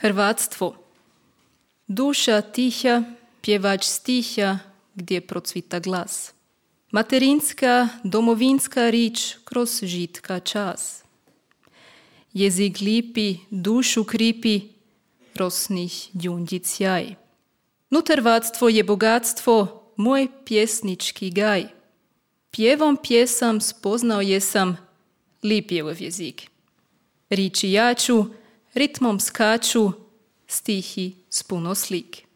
Hrvatstvo. Duša tiha, pjevač stiha gdje procvita glas. Materinska, domovinska rič kroz žitka čas. Jezik lipi, dušu kripi, rosnih đunđic sjaj. Nut hrvatstvo je bogatstvo, moj pjesnički gaj. Pjevom pjesam spoznao jesam lip je ov jezik. Riči jaču, ritmom skaču, stihi s puno slik.